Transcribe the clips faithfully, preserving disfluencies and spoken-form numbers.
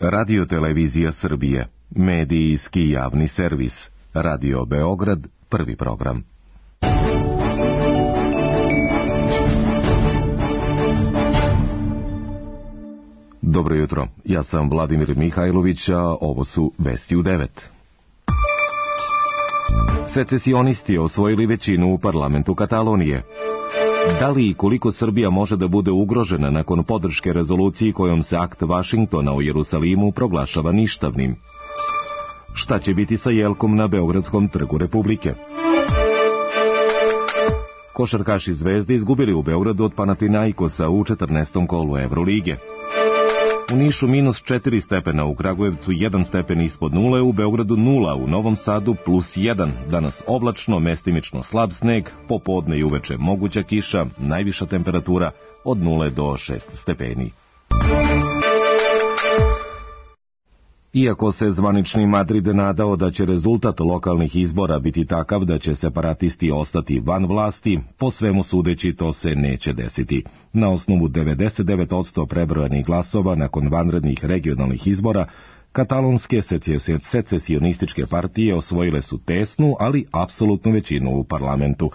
Radio-televizija Srbije, medijski javni servis, Radio Beograd, prvi program. Dobro jutro, ja sam Vladimir Mihajlović, a ovo su Vesti u devet. Secesionisti osvojili većinu u parlamentu Katalonije. Da li i koliko Srbija može da bude ugrožena nakon podrške rezoluciji kojom se akt Vašingtona o Jerusalimu proglašava ništavnim? Šta će biti sa jelkom na Beogradskom trgu Republike? Košarkaši Zvezde izgubili u Beogradu od Panathinaikosa u četrnaestom kolu Evrolige. U Nišu minus četiri stepena, u Kragujevcu jedan stepen ispod nule, u Beogradu nula, u Novom Sadu plus jedan. Danas oblačno, mestimično slab sneg, popodne i uveče moguća kiša, najviša temperatura od nule do šest stepeni. Iako se zvanični Madrid nadao da će rezultat lokalnih izbora biti takav da će separatisti ostati van vlasti, po svemu sudeći to se neće desiti. Na osnovu devedeset devet posto prebrojanih glasova nakon vanrednih regionalnih izbora, katalonske secesionističke partije osvojile su tesnu, ali apsolutnu većinu u parlamentu.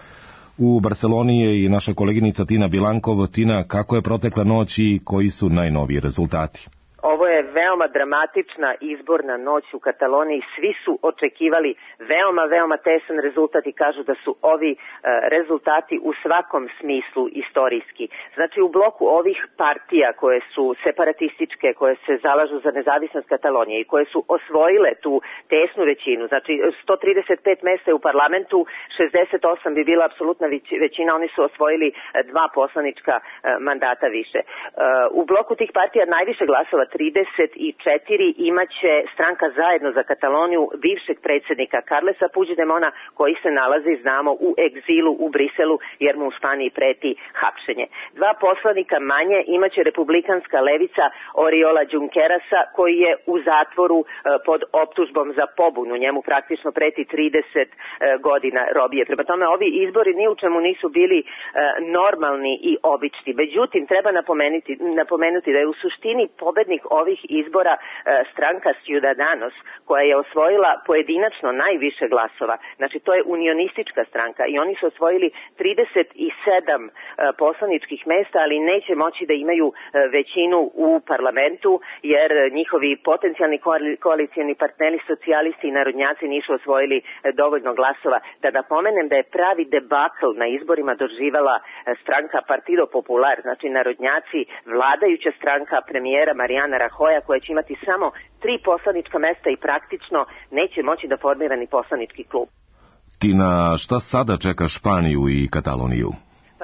U Barseloni je i naša koleginica Tina Bilankov. Tina, kako je protekla noć i koji su najnoviji rezultati? Ovo je veoma dramatična izborna noć u Kataloniji. Svi su očekivali veoma, veoma tesan rezultat i kažu da su ovi e, rezultati u svakom smislu istorijski. Znači, u bloku ovih partija koje su separatističke, koje se zalažu za nezavisnost Katalonije i koje su osvojile tu tesnu većinu, znači sto trideset pet mesta je u parlamentu, šezdeset osam bi bila apsolutna većina, oni su osvojili dva poslanička e, mandata više. E, u bloku tih partija najviše glasova, trideset četiri, imaće stranka Zajedno za Kataloniju bivšeg predsjednika Carlesa Puigdemona, koji se nalazi, znamo, u egzilu u Briselu jer mu u Španiji preti hapšenje. Dva poslanika manje imaće republikanska levica Oriola Junquerasa, koji je u zatvoru pod optužbom za pobunu. Njemu praktično preti trideset godina robije. Prema tome, ovi izbori ni u čemu nisu bili normalni i obični. Međutim, treba napomenuti, napomenuti da je u suštini pobednik ovih izbora stranka Ciudadanos, koja je osvojila pojedinačno najviše glasova. Znači, to je unionistička stranka i oni su osvojili trideset sedam poslaničkih mesta, ali neće moći da imaju većinu u parlamentu, jer njihovi potencijalni koalicijani partneri, socijalisti i narodnjaci nisu osvojili dovoljno glasova. Da napomenem da je pravi debakl na izborima doživala stranka Partido Popular, znači narodnjaci, vladajuća stranka premijera Mariana Rajoja, koja će imati samo tri poslanička mesta i praktično neće moći da formira ni poslanički klub. Tina, šta sada čeka Španiju i Kataloniju?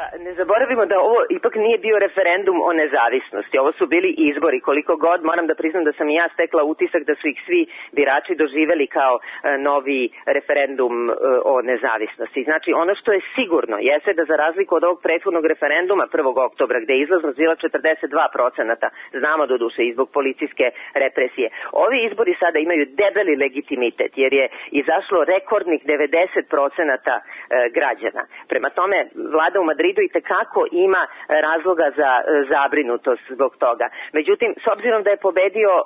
Pa ne zaboravimo da ovo ipak nije bio referendum o nezavisnosti, ovo su bili izbori. Koliko god moram da priznam da sam i ja stekla utisak da su ih svi birači doživeli kao e, novi referendum e, o nezavisnosti. Znači, ono što je sigurno jeste da za razliku od ovog prethodnog referenduma prvog oktobra, gde je izlaznost bila četrdeset dva posto, znamo do duše i zbog policijske represije, ovi izbori sada imaju debeli legitimitet jer je izašlo rekordnih devedeset posto e, građana. Prema tome, vlada u Madridu i tekako ima razloga za zabrinutost zbog toga. Međutim, s obzirom da je pobedio e,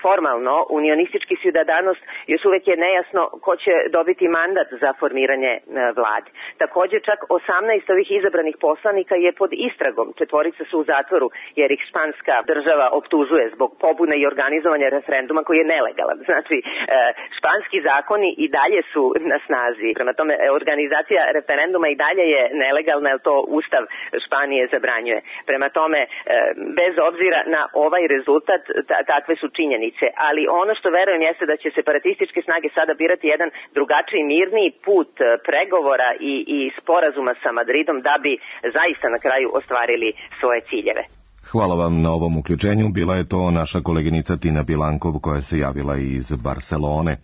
formalno unionistički Ciudadanos, još uvek je nejasno ko će dobiti mandat za formiranje e, vlade. Također, čak osamnaest ovih izabranih poslanika je pod istragom. Četvorica su u zatvoru jer ih španska država optužuje zbog pobune i organizovanja referenduma koji je nelegalan. Znači, e, španski zakoni i dalje su na snazi. Prema tome, organizacija referenduma i dalje je nelegalna, jer to Ustav Španije zabranjuje. Prema tome, bez obzira na ovaj rezultat, takve su činjenice. Ali ono što verujem jeste da će separatističke snage sada birati jedan drugačiji, mirniji put pregovora i, i sporazuma sa Madridom da bi zaista na kraju ostvarili svoje ciljeve. Hvala vam na ovom uključenju. Bila je to naša koleginica Tina Bilankov koja se javila iz Barcelone.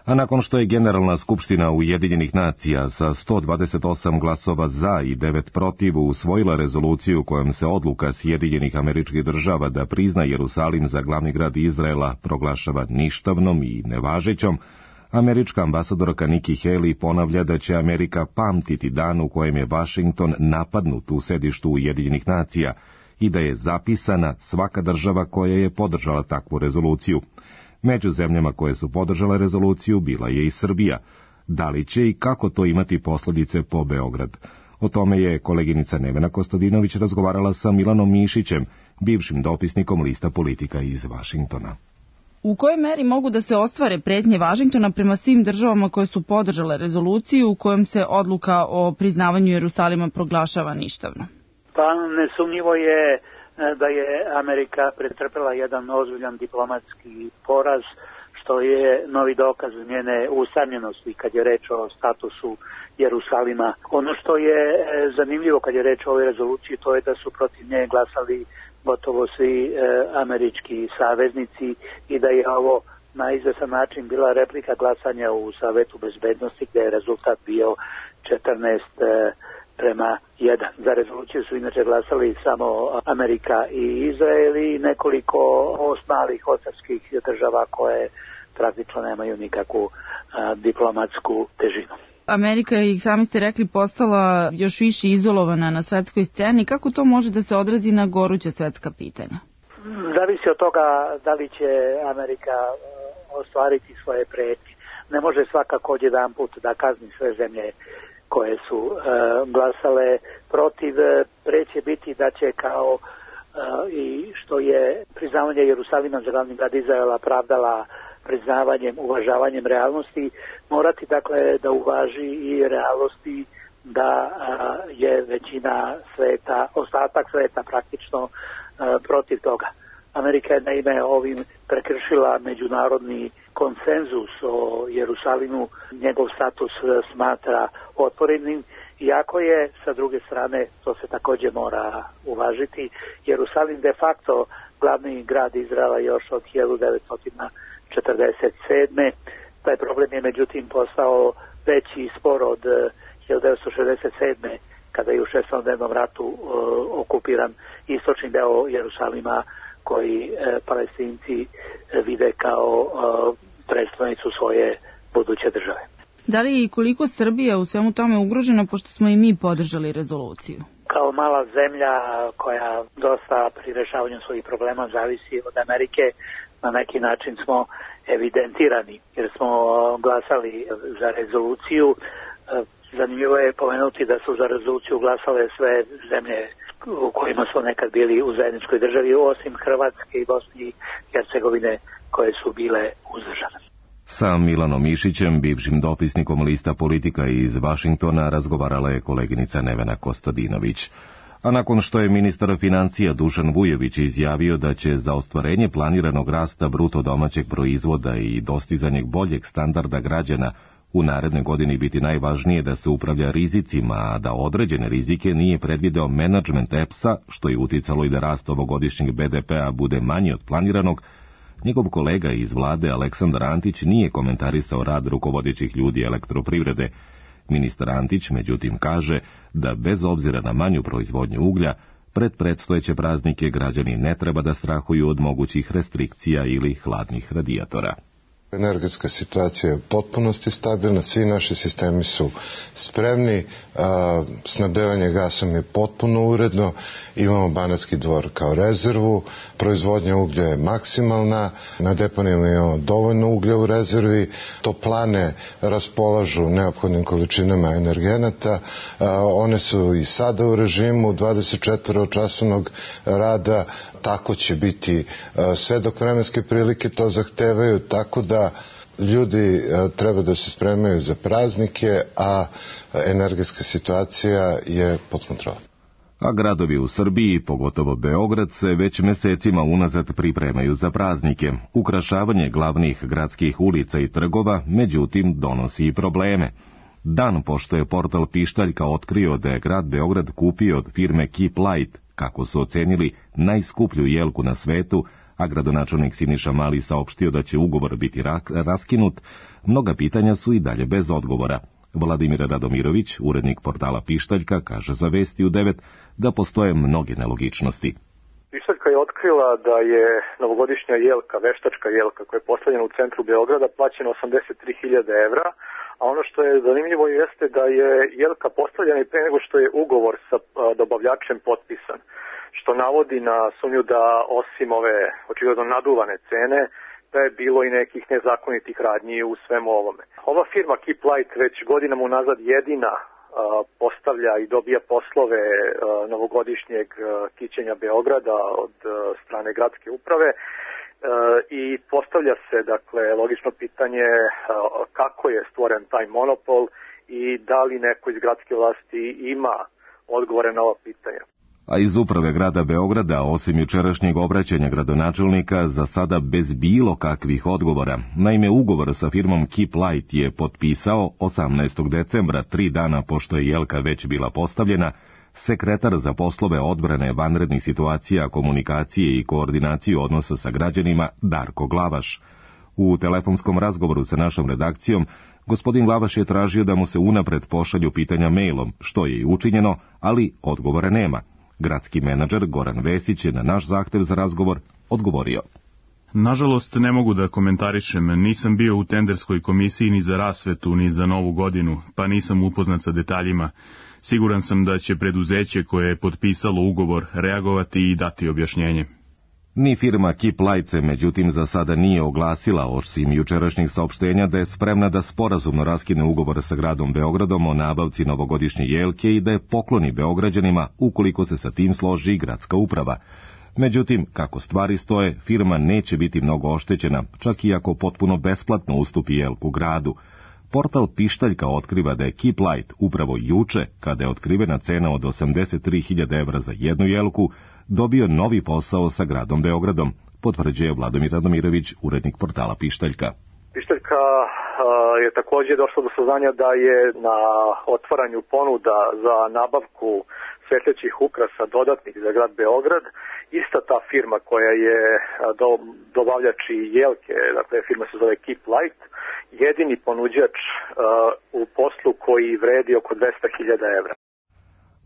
A nakon što je Generalna skupština Ujedinjenih nacija sa sto dvadeset osam glasova za i devet protiv usvojila rezoluciju kojom se odluka Sjedinjenih Američkih Država da prizna Jerusalim za glavni grad Izraela proglašava ništavnom i nevažećom, američka ambasadorka Nikki Haley ponavlja da će Amerika pamtiti dan u kojem je Vašington napadnut u sedištu Ujedinjenih nacija i da je zapisana svaka država koja je podržala takvu rezoluciju. Među zemljama koje su podržale rezoluciju bila je i Srbija. Da li će i kako to imati posljedice po Beograd? O tome je koleginica Nevena Kostadinović razgovarala sa Milanom Mišićem, bivšim dopisnikom lista Politika iz Vašingtona. U kojoj meri mogu da se ostvare pretnje Vašingtona prema svim državama koje su podržale rezoluciju u kojem se odluka o priznavanju Jerusalima proglašava ništavno? Pa nesumnjivo je da je Amerika pretrpela jedan ozbiljan diplomatski poraz, što je novi dokaz njene usamljenosti kad je reč o statusu Jerusalima. Ono što je zanimljivo kad je reč o ovoj rezoluciji, to je da su protiv nje glasali gotovo svi e, američki saveznici i da je ovo na izvesan način bila replika glasanja u Savetu bezbednosti, gde je rezultat bio četrnaest e, prema jedan. Za rezoluciju su inače glasali samo Amerika i Izrael i nekoliko ostalih ocarskih država koje praktično nemaju nikakvu a, diplomatsku težinu. Amerika je, sami ste rekli, postala još više izolovana na svetskoj sceni. Kako to može da se odrazi na goruća svetska pitanja? Zavisi od toga da li će Amerika ostvariti svoje pretnje. Ne može svakako odjedan put da kazni sve zemlje koje su uh, glasale protiv. Preće biti da će kao uh, i što je priznavanje Jerusalima za glavni grad Izraela pravdala priznavanjem, uvažavanjem realnosti, morati dakle da uvaži i realnosti da a, je većina sveta, ostatak sveta praktično a, protiv toga. Amerika je naime ovim prekršila međunarodni konsenzus o Jerusalimu, njegov status smatra otvorenim, iako je sa druge strane, to se također mora uvažiti, Jerusalim de facto glavni grad Izraela još od hiljadu devetsto četrdeset sedme. Taj problem je međutim postao veći spor od hiljadu devetsto šezdeset sedme kada je u šestodnevnom ratu uh, okupiran istočni deo Jerusalima koji uh, Palestinci vide kao uh, predstavnicu svoje buduće države. Da li i koliko Srbija u svemu tome ugrožena, pošto smo i mi podržali rezoluciju? Kao mala zemlja koja dosta pri rešavanju svojih problema zavisi od Amerike, na neki način smo evidentirani jer smo glasali za rezoluciju. Zanimljivo je pomenuti da su za rezoluciju glasale sve zemlje u kojima su nekad bili u zajedničkoj državi, osim Hrvatske i Bosne i Hercegovine koje su bile uzdržane. Sa Milanom Mišićem, bivšim dopisnikom lista Politika iz Vašingtona, razgovarala je koleginica Nevena Kostadinović. A nakon što je ministar financija Dušan Vujović izjavio da će za ostvarenje planiranog rasta bruto domaćeg proizvoda i dostizanje boljeg standarda građana u narednoj godini biti najvažnije da se upravlja rizicima, a da određene rizike nije predvideo menadžment E P S-a, što je uticalo i da rast ovogodišnjeg B D P-a bude manji od planiranog, njegov kolega iz vlade Aleksandar Antić nije komentarisao rad rukovodećih ljudi elektroprivrede. Ministar Antić, međutim, kaže da bez obzira na manju proizvodnju uglja, pred predstojeće praznike građani ne treba da strahuju od mogućih restrikcija ili hladnih radijatora. Energetska situacija je u potpunosti stabilna, svi naši sistemi su spremni, a, snabdevanje gasom je potpuno uredno, imamo Banatski Dvor kao rezervu, proizvodnja uglja je maksimalna, na deponijama imamo dovoljno uglja u rezervi, toplane raspolažu neophodnim količinama energenata, a, one su i sada u režimu dvadeset četiri časovnog rada, tako će biti a, sve dok vremenske prilike to zahtevaju, tako da ljudi treba da se spremaju za praznike, a energetska situacija je pod kontrolom. A gradovi u Srbiji, pogotovo Beograd, se već mesecima unazad pripremaju za praznike. Ukrašavanje glavnih gradskih ulica i trgova, međutim, donosi i probleme. Dan pošto je portal Pištaljka otkrio da je grad Beograd kupio od firme Keep Light, kako su ocenili, najskuplju jelku na svetu, a gradonačelnik Siniša Mali saopštio da će ugovor biti raskinut, mnoga pitanja su i dalje bez odgovora. Vladimir Radomirović, urednik portala Pištaljka, kaže za Vesti u devet da postoje mnoge nelogičnosti. Pištaljka je otkrila da je novogodišnja jelka, veštačka jelka koja je postavljena u centru Beograda, plaćena osamdeset tri hiljade evra, a ono što je zanimljivo jeste da je jelka postavljena i pre nego što je ugovor sa dobavljačem potpisan, što navodi na sumnju da osim ove očigledno naduvane cene, da je bilo i nekih nezakonitih radnji u svemu ovome. Ova firma Keep Light već godinama unazad jedina postavlja i dobija poslove novogodišnjeg kićenja Beograda od strane gradske uprave i postavlja se, dakle, logično pitanje kako je stvoren taj monopol i da li neko iz gradske vlasti ima odgovore na ova pitanja. A iz uprave grada Beograda, osim jučerašnjeg obraćanja gradonačelnika, za sada bez bilo kakvih odgovora. Naime, ugovor sa firmom Keep Light je potpisao osamnaestog decembra, tri dana pošto je jelka već bila postavljena, sekretar za poslove odbrane vanrednih situacija, komunikacije i koordinaciju odnosa sa građanima Darko Glavaš. U telefonskom razgovoru sa našom redakcijom, gospodin Glavaš je tražio da mu se unapred pošalju pitanja mailom, što je i učinjeno, ali odgovora nema. Gradski menadžer Goran Vesić je na naš zahtev za razgovor odgovorio. Nažalost, ne mogu da komentarišem, nisam bio u tenderskoj komisiji ni za rasvetu, ni za novu godinu, pa nisam upoznat sa detaljima. Siguran sam da će preduzeće koje je potpisalo ugovor reagovati i dati objašnjenje. Ni firma Keep Light se međutim za sada nije oglasila, osim jučerašnjih saopštenja da je spremna da sporazumno raskine ugovor sa gradom Beogradom o nabavci novogodišnje jelke i da je pokloni Beograđanima ukoliko se sa tim složi gradska uprava. Međutim, kako stvari stoje, firma neće biti mnogo oštećena, čak i ako potpuno besplatno ustupi jelku gradu. Portal Pištaljka otkriva da je Keep Light upravo juče, kada je otkrivena cena od osamdeset tri hiljade evra za jednu jelku, dobio novi posao sa gradom Beogradom, potvrđuje Vladomir Radomirović, urednik portala Pištaljka. Pištaljka je također došla do saznanja da je na otvaranju ponuda za nabavku svetlećih ukrasa dodatnih za grad Beograd ista ta firma koja je do, dobavljač i jelke, dakle firma se zove Keep Light, jedini ponuđač uh, u poslu koji vredi oko dvesta hiljada evra.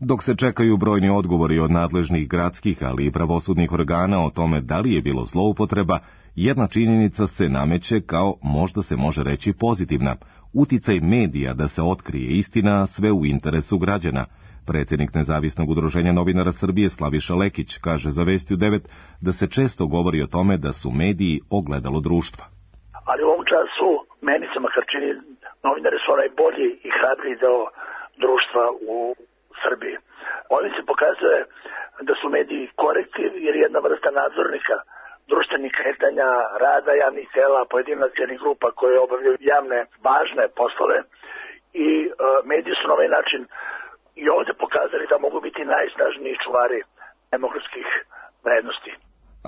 Dok se čekaju brojni odgovori od nadležnih gradskih, ali i pravosudnih organa o tome da li je bilo zloupotreba, jedna činjenica se nameće kao, možda se može reći, pozitivna. Uticaj medija da se otkrije istina, sve u interesu građana. Predsjednik Nezavisnog udruženja novinara Srbije Slaviša Lekić kaže za Vesti u devet da se često govori o tome da su mediji ogledalo društva. Ali u ovom času meni se makar čini novinari su onaj bolji i hrabriji deo društva u Srbiji. Ovim se pokazuje da su mediji korektiv jer jedna vrsta nadzornika društvenih kretanja, rada javnih tela, pojedinačnih grupa koje obavljaju javne, važne poslove i e, mediji su na ovaj način i ovdje pokazali da mogu biti najsnažniji čuvari demokratskih vrednosti.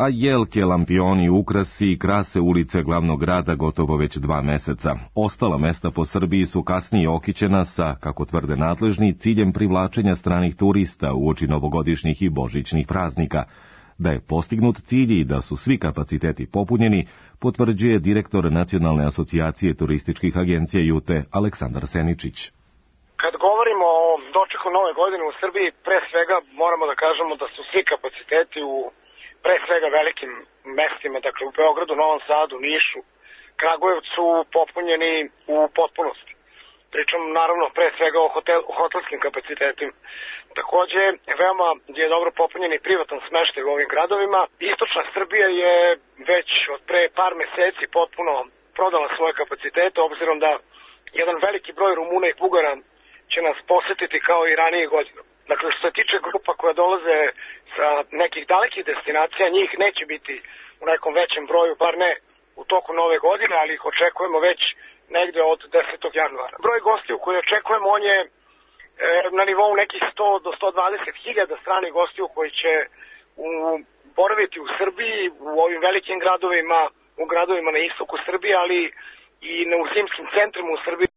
A jelke, lampioni, ukrasi i krase ulice glavnog grada gotovo već dva meseca. Ostala mesta po Srbiji su kasnije okićena sa, kako tvrde nadležni, ciljem privlačenja stranih turista uoči novogodišnjih i božićnih praznika. Da je postignut cilj i da su svi kapaciteti popunjeni, potvrđuje direktor Nacionalne asocijacije turističkih agencija Jute Aleksandar Seničić. Kad govorimo o dočeku nove godine u Srbiji, pre svega moramo da kažemo da su svi kapaciteti u pre svega velikim mestima, dakle u Beogradu, Novom Sadu, Nišu, Kragujevcu popunjeni u potpunosti. Pričam naravno pre svega o, hotel, o hotelskim kapacitetima. Takođe, veoma je dobro popunjen i privatan smeštaj u ovim gradovima. Istočna Srbija je već od pre par meseci potpuno prodala svoje kapacitete, obzirom da jedan veliki broj Rumuna i Bugara će nas posetiti kao i ranije godine. Dakle, što se tiče grupa koja dolaze sa nekih dalekih destinacija, njih neće biti u nekom većem broju, bar ne u toku nove godine, ali ih očekujemo već negde od desetog januara. Broj gostiju koji očekujemo, on je e, na nivou nekih sto do sto dvadeset hiljada stranih gostiju koji će u, boraviti u Srbiji, u ovim velikim gradovima, u gradovima na istoku Srbije, ali i na u zimskim centrima u Srbiji.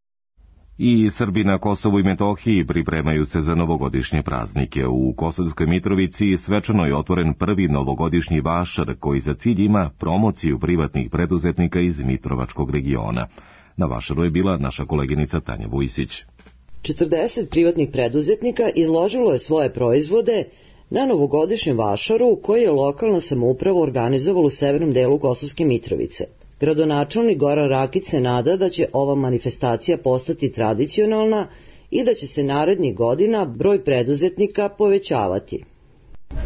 I Srbi na Kosovu i Metohiji pripremaju se za novogodišnje praznike. U Kosovskoj Mitrovici svečano je otvoren prvi novogodišnji vašar koji za cilj ima promociju privatnih preduzetnika iz Mitrovačkog regiona. Na vašaru je bila naša koleginica Tanja Vujsić. četrdeset privatnih preduzetnika izložilo je svoje proizvode na novogodišnjem vašaru koji je lokalna samouprava organizovala u severnom delu Kosovske Mitrovice. Gradonačelnik Goran Rakić se nada da će ova manifestacija postati tradicionalna i da će se narednih godina broj preduzetnika povećavati.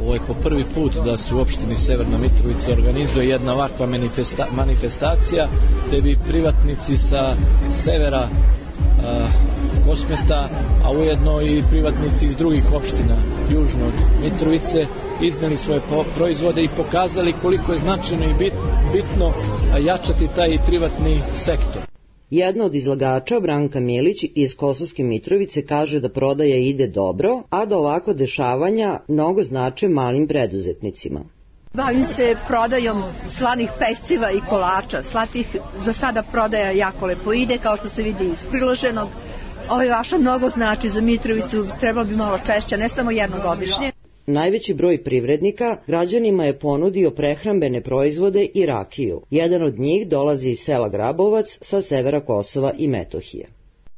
Ovo je po prvi put da se u opštini Severna Mitrovica organizuje jedna ovakva manifesta, manifestacija gde bi privatnici sa severa a, Kosmeta, a ujedno i privatnici iz drugih opština južno od Mitrovice izneli svoje proizvode i pokazali koliko je značajno i bit, bitno jačati taj privatni sektor. Jedna od izlagača, Branka Milić iz Kosovske Mitrovice, kaže da prodaja ide dobro, a da ovako dešavanja mnogo znače malim preduzetnicima. Bavim se prodajom slanih peciva i kolača. Slatih za sada prodaja jako lepo ide, kao što se vidi iz priloženog. Ovo vaša mnogo znači za Mitrovicu, trebalo bi malo češće, ne samo jednogodišnje. Najveći broj privrednika građanima je ponudio prehrambene proizvode i rakiju. Jedan od njih dolazi iz sela Grabovac sa severa Kosova i Metohije.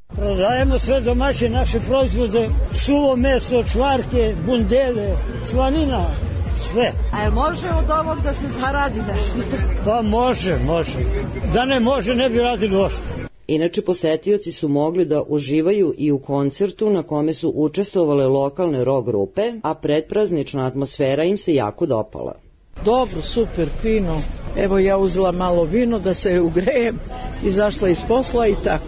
Prodajemo sve domaće naše proizvode, suvo meso, čvarke, bundele, slanina, sve. A može od ovog da se zaradi nešto? Pa može, može. Da ne može, ne bi radili ošto. Inače, posetioci su mogli da uživaju i u koncertu na kome su učestvovale lokalne rock grupe, a predpraznična atmosfera im se jako dopala. Dobro, super, fino. Evo ja uzela malo vino da se ugrejem, izašla iz posla i tako.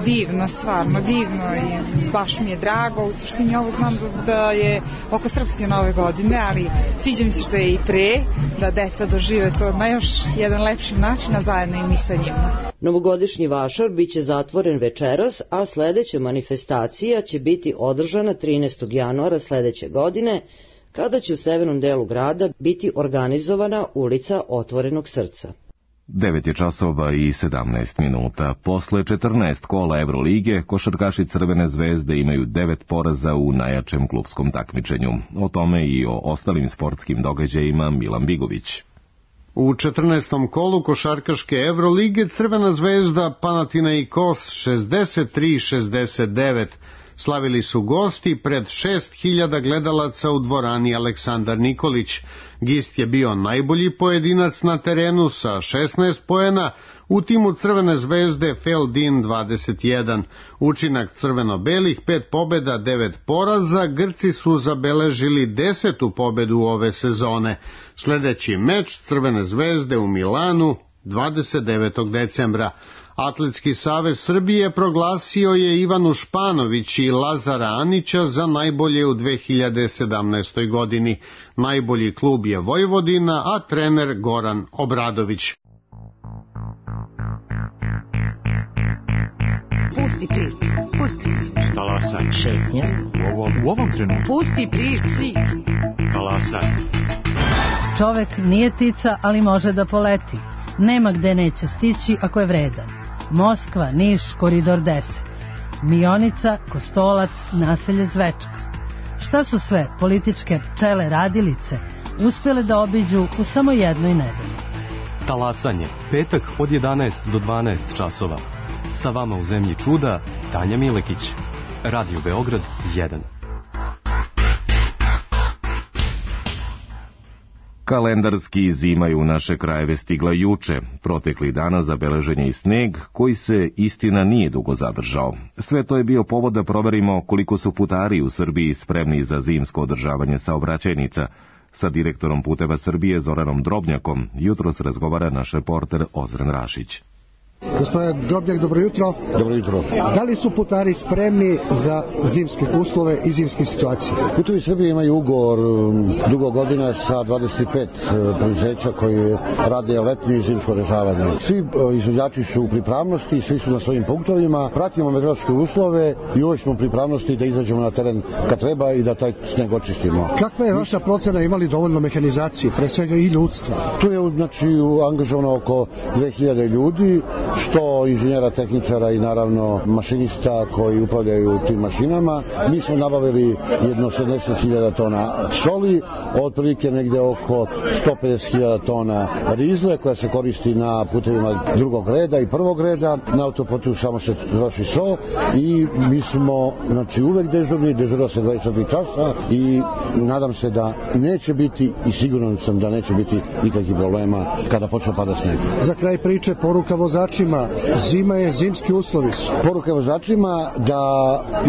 Divno, stvarno, divno i baš mi je drago. U suštini ovo znam da je oko srpske nove godine, ali sviđa mi se što je i pre, da deca dožive to na još jedan lepši način, a zajedno i mi sa njima. Novogodišnji vašar biće zatvoren večeras, a sledeća manifestacija će biti održana trinaestog januara sledeće godine, kada će u severnom delu grada biti organizovana ulica Otvorenog srca. devet je časova i sedamnaest minuta. Posle četrnaest kola Evrolige, košarkaši Crvene zvezde imaju devet poraza u najjačem klupskom takmičenju. O tome i o ostalim sportskim događajima Milan Bigović. U četrnaestom kolu košarkaške Evrolige Crvena zvezda Panathinaikos šezdeset tri šezdeset devet. Slavili su gosti pred šest hiljada gledalaca u dvorani Aleksandar Nikolić. Gist je bio najbolji pojedinac na terenu sa šesnaest poena, u timu Crvene zvezde Feldin dvadeset jedan. Učinak crveno-belih pet pobeda, devet poraza, Grci su zabeležili desetu pobedu ove sezone. Sledeći meč Crvene zvezde u Milanu dvadeset devetog decembra. Atletski savez Srbije proglasio je Ivanu Španović i Lazara Anića za najbolje u dve hiljade sedamnaestoj godini. Najbolji klub je Vojvodina, a trener Goran Obradović. Pusti priču, pusti priču. Talasaj. Šetnja. U ovom, u ovom trenutku. Pusti priču. Talasaj. Čovek nije ptica, ali može da poleti. Nema gde neće stići ako je vredan. Moskva, Niš, koridor deset. Mionica, Kostolac, naselje Zvečka. Šta su sve političke pčele radilice uspjele da obiđu u samo jednoj nedelji? Talasanje, petak od jedanaest do dvanaest časova. Sa vama u zemlji čuda, Tanja Milekić. Radio Beograd jedan. Kalendarski zima je u naše krajeve stigla juče. Protekli dana zabeležen je i sneg, koji se, istina, nije dugo zadržao. Sve to je bio povod da proverimo koliko su putari u Srbiji spremni za zimsko održavanje saobraćajnica. Sa direktorom Puteva Srbije Zoranom Drobnjakom jutros razgovara naš reporter Ozren Rašić. Gospodine Drobnjak, dobro jutro. Dobro jutro. Da li su putari spremni za zimske uslove i zimske situacije? Putevi Srbije imaju ugovor dugo godina sa dvadeset pet preduzeća koji rade letnje i zimsko održavanje. Svi izvođači su u pripravnosti, svi su na svojim punktovima, pratimo meteorološke uslove i uvek smo u pripravnosti da izađemo na teren kad treba i da taj sneg očistimo. Kakva je vaša procena, imali dovoljno mehanizacije, pre svega i ljudstva? Tu je znači angažovano oko dve hiljade ljudi, što inženjera, tehničara i naravno mašinista koji upravljaju tim mašinama. Mi smo nabavili jedno sedamdeset hiljada tona soli, otprilike negde oko sto pedeset hiljada tona rizle koja se koristi na putevima drugog reda i prvog reda. Na autoputu samo se troši so i mi smo znači, uvek dežurni, dežura se dvadeset četiri časa i nadam se da neće biti i siguran sam da neće biti nikakvih problema kada počne pada sneg. Za kraj priče poruka vozačima, zima je, zimski uslovi su. Poruka vozačima da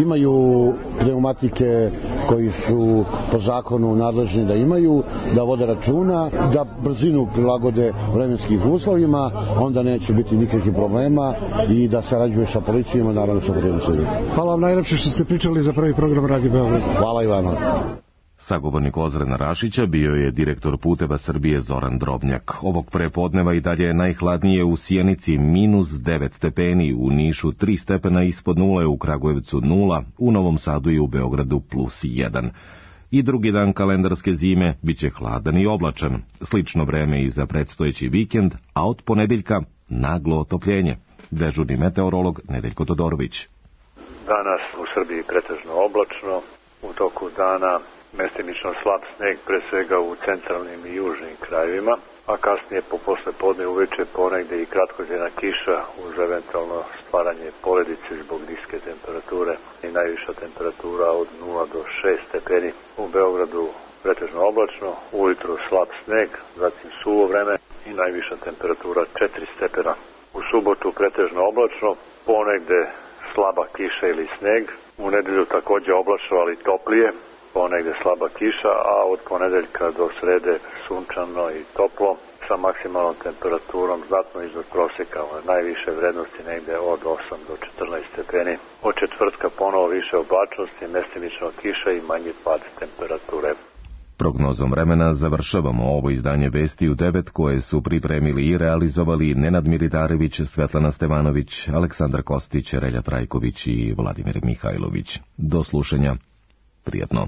imaju pneumatike koji su po zakonu nadležni da imaju, da vode računa, da brzinu prilagode vremenskim uslovima, onda neće biti nikakvih problema i da sarađuje sa policijom, naravno sa Putevima Srbije. Hvala vam najlepše što ste pričali za prvi program Radio Beograd. Hvala i vama. Sagovornik Ozrena Rašića bio je direktor Puteva Srbije Zoran Drobnjak. Ovog prepodneva i dalje je najhladnije u Sjenici minus devet stepeni, u Nišu tri stepena ispod nule, u Kragujevcu nula, u Novom Sadu i u Beogradu plus jedan. I drugi dan kalendarske zime biće hladan i oblačan. Slično vreme i za predstojeći vikend, a od ponedeljka naglo otopljenje. Dežurni meteorolog Nedeljko Todorović. Danas u Srbiji pretežno oblačno, u toku dana mestimično slab sneg, pre svega u centralnim i južnim krajevima, a kasnije po posle podne uveče ponegde i kratkozjena kiša uz eventualno stvaranje poledice zbog niske temperature i najviša temperatura od nula do šest stepeni. U Beogradu pretežno oblačno, ujutru slab sneg, zatim suvo vreme i najviša temperatura četiri stepena. U subotu pretežno oblačno, ponegde slaba kiša ili sneg, u nedelju takođe oblačno ali toplije, ponegde slaba kiša, a od ponedeljka do srede sunčano i toplo sa maksimalnom temperaturom znatno iznad proseka, najviše vrednosti negde od osam do četrnaest stepeni. Od četvrtka ponovo više oblačnosti, mestimično kiša i manji pad temperature. Prognozom vremena završavamo ovo izdanje Vesti u devet koje su pripremili i realizovali Nenad Militarević, Svetlana Stevanović, Aleksandar Kostić, Relja Trajković i Vladimir Mihajlović. Do slušanja. Prijetno.